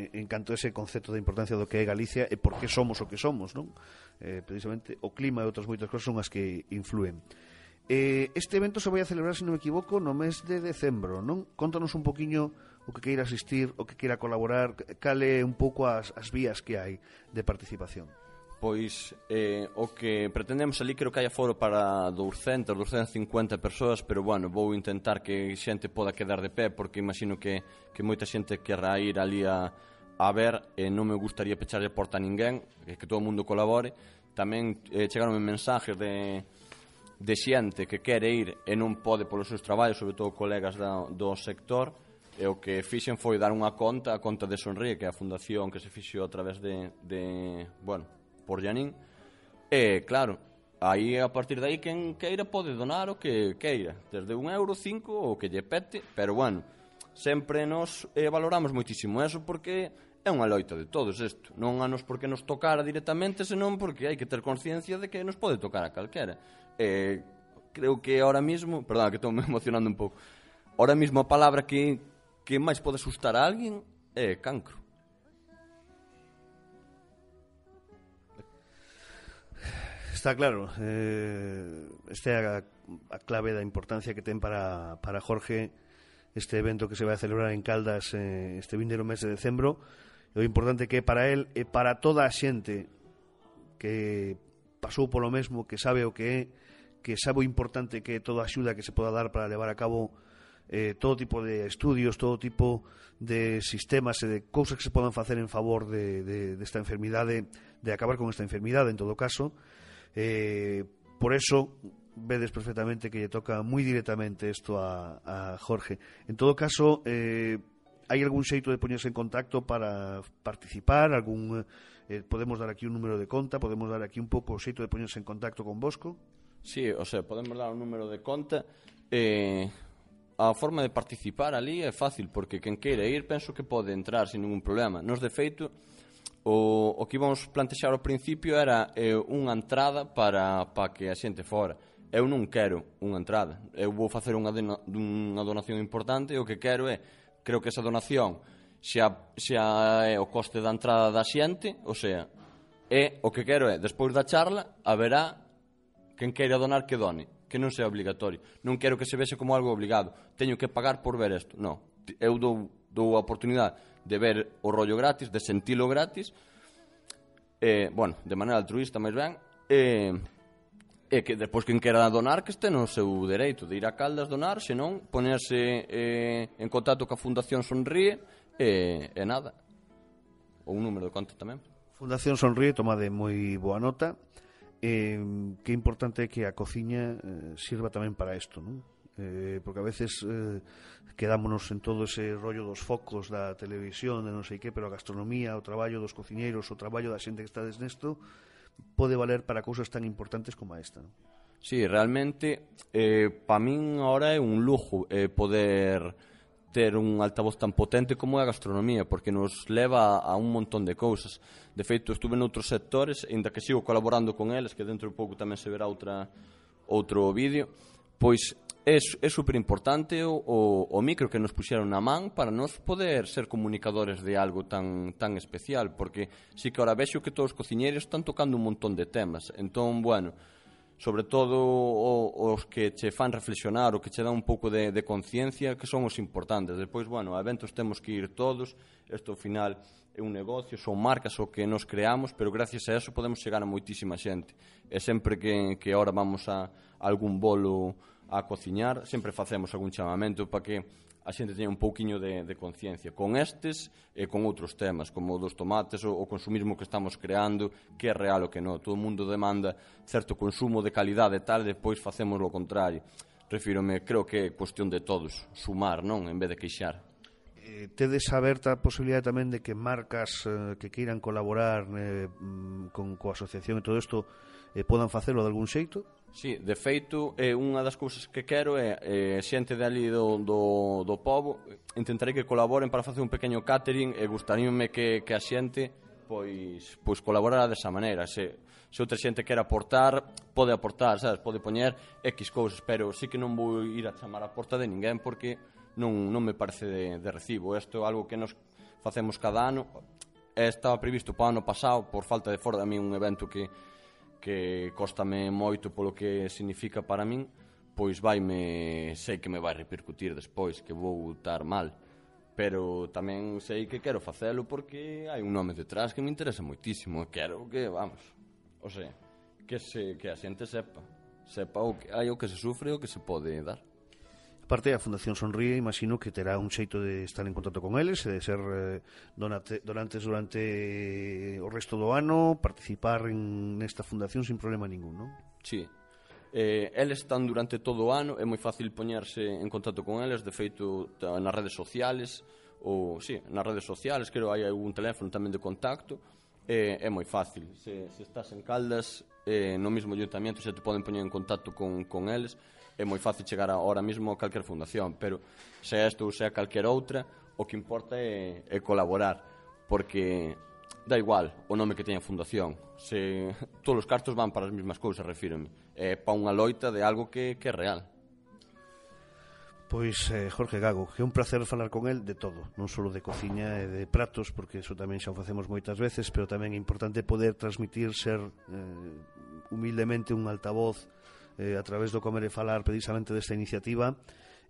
en canto a ese concepto de importancia do que é Galicia e por que somos o que somos, non? Precisamente o clima e outras moitas cosas son as que influen. Este evento se vai a celebrar, se non me equivoco, no mes de decembro, non? Contanos un poquinho o que queira asistir, o que queira colaborar, cale un pouco as vías que hai de participación. Pois o que pretendemos ali, creo que hai aforo para 250 persoas, pero bueno, vou intentar que xente poda quedar de pé, porque imagino que moita xente querrá ir ali a ver, e non me gustaría pecharlle a porta a ninguén, que todo o mundo colabore. Tamén chegaronme mensajes de xente que quere ir e non pode polos seus traballos, sobre todo colegas do sector, e o que fixen foi dar unha conta, a conta de Sonríe, que é a fundación que se fixo a través por Janín, e claro, aí a partir de aí quen queira pode donar o que queira, desde €1, 5 o que lle pete, pero bueno, sempre nos valoramos moitísimo eso, porque é unha loita de todos isto. Non a nos porque nos tocara directamente, senón porque hai que ter conciencia de que nos pode tocar a calquera. Creo que ahora mismo, perdón, que estou me emocionando un pouco, ahora mismo a palabra que máis pode asustar a alguén é cancro. Está claro, esta é a clave da importancia que ten para Jorge este evento que se vai a celebrar en Caldas este vindeiro mes de decembro. O importante que é para él e para toda a xente que pasou polo mesmo, que sabe o que é, que sabe o importante que é toda a axuda que se poda dar para levar a cabo todo tipo de estudios, todo tipo de sistemas e de cousas que se podan facer en favor desta enfermidade, de acabar con esta enfermidade en todo caso. Por eso vedes perfectamente que lle toca moi directamente isto a Jorge. En todo caso, hai algún xeito de poñerse en contacto para participar? Podemos dar aquí un número de conta, podemos dar aquí un pouco o xeito de poñerse en contacto con Bosco? Sí, o sea, podemos dar un número de conta. A forma de participar ali é fácil, porque quen queira ir penso que pode entrar sin ningún problema. Nos, de feito, o que íbamos plantexar ao principio era unha entrada para que a xente fora. Eu non quero unha entrada, eu vou facer unha donación importante e o que quero é, creo que esa donación xa é o coste da entrada da xente, o sea, o que quero é, despois da charla, haberá quen queira donar que done, que non sea obligatorio. Non quero que se vexe como algo obligado. Teño que pagar por ver isto. Non, eu dou a oportunidade de ver o rollo gratis, de sentilo gratis, bueno, de maneira altruista, máis ben, e que despois quen quera donar que este no seu dereito de ir a Caldas donar, senón ponerse en contacto coa Fundación Sonríe e nada. Ou un número de conta tamén. Fundación Sonríe, toma de moi boa nota. Que importante é que a cociña sirva tamén para isto, non? Porque a veces quedámonos en todo ese rollo dos focos da televisión, de non sei que, pero a gastronomía, o traballo dos cociñeiros, o traballo da xente que estades nesto pode valer para cousas tan importantes como esta, non? Sí, realmente para min ahora é un lujo poder ter un altavoz tan potente como é a gastronomía, porque nos leva a un montón de cousas. De feito, estuve noutros sectores, ainda que sigo colaborando con eles, que dentro de pouco tamén se verá outro vídeo, pois é super importante o micro que nos puxeron na man para nos poder ser comunicadores de algo tan especial, porque sí que ahora vexo que todos os cociñeiros están tocando un montón de temas. Entón, bueno, sobre todo os que che fan reflexionar, o que che dan un pouco de conciencia, que son os importantes. Depois, bueno, a eventos temos que ir todos, isto ao final é un negocio, son marcas o que nos creamos, pero gracias a eso podemos chegar a moitísima xente. E sempre que ahora vamos a algún bolo a cociñar, sempre facemos algún chamamento para que a xente teña un pouquiño de conciencia con estes e con outros temas, como dos tomates, o consumismo que estamos creando, que é real o que non. Todo o mundo demanda certo consumo de calidade e tal, e depois facemos o contrario. Refírome, creo que é cuestión de todos, sumar, non, en vez de queixar. Tedes aberta a posibilidade tamén de que marcas que queiran colaborar coa asociación e todo isto podan facelo de algún xeito? Sí, de feito, unha das cousas que quero é xente de ali do pobo, intentarei que colaboren para facer un pequeno catering e gustaríame que a xente pois colaborara desa maneira. Se outra xente quer aportar, pode aportar, sabes, pode poñer X cousas, pero sí que non vou ir a chamar a porta de ninguén porque non me parece de recibo. Isto é algo que nos facemos cada ano. Estaba previsto para o ano pasado, por falta de fora, a mí un evento que cóstame moito polo que significa para min, pois sei que me vai repercutir despois, que vou estar mal, pero tamén sei que quero facelo porque hai un nome detrás que me interesa moitísimo, e quero que, vamos, o sea, que a xente sepa o que hai, o que se sufre e o que se pode dar. Aparte, a Fundación Sonríe, imagino que terá un xeito de estar en contacto con eles e de ser donantes durante o resto do ano, participar nesta fundación sin problema ningún, non? Sí. Eles están durante todo o ano, é moi fácil poñerse en contacto con eles, de feito nas redes sociales, nas redes sociales, creo hai algún teléfono tamén de contacto, é moi fácil. Se estás en Caldas, no mesmo ayuntamiento, se te poden poñer en contacto con eles, é moi fácil chegar ahora mesmo a calquer fundación, pero se esta ou se calquer outra, o que importa é colaborar. porque da igual o nome que teña a fundación, se todos os cartos van para as mesmas cousas, refírome, é para unha loita de algo que é real. Pois Jorge Gago, que é un placer falar con el de todo, non só de cociña e de pratos, porque eso tamén xa o facemos moitas veces, pero tamén é importante poder transmitir, ser humildemente un altavoz a través do Comer e Falar precisamente desta iniciativa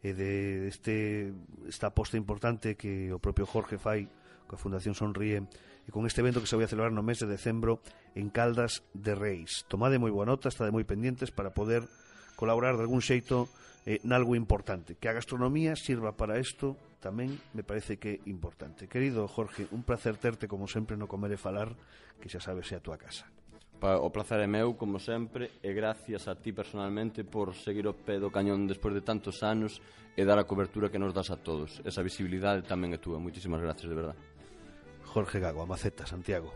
e de esta aposta importante que o propio Jorge fai coa Fundación Sonríe e con este evento que se vai a celebrar no mes de decembro en Caldas de Reis. Tomade moi boa nota, estade moi pendientes para poder colaborar de algún xeito nalgo importante. Que a gastronomía sirva para isto tamén me parece que é importante. Querido Jorge, un placer terte como sempre no Comer e Falar, que xa sabes é a túa casa. O placer é meu, como sempre, e gracias a ti personalmente por seguir o pé do cañón despois de tantos anos e dar a cobertura que nos das a todos. Esa visibilidade tamén é túa. Moitísimas gracias, de verdad. Jorge Gago, a Maceta, Santiago.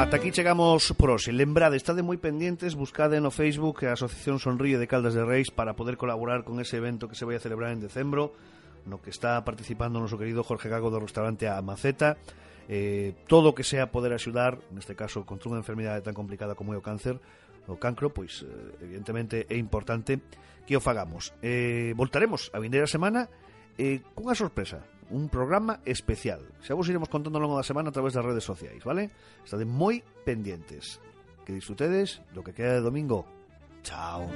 Ata aquí chegamos por hoxe. Lembrade, estade moi pendientes, buscade no Facebook a Asociación Sonríe de Caldas de Reis para poder colaborar con ese evento que se vai a celebrar en decembro, no que está participando o noso querido Jorge Gago do restaurante A Maceta. Todo o que sea poder axudar, neste caso contra unha enfermidade tan complicada como é o cáncer, o cancro, pois evidentemente é importante que o fagamos. Voltaremos a vindeira semana cunha sorpresa, un programa especial. Xa vos iremos contando ao longo da semana a través das redes sociais, vale? Estade moi pendientes. Que disfrutedes do que queda de domingo. Chao.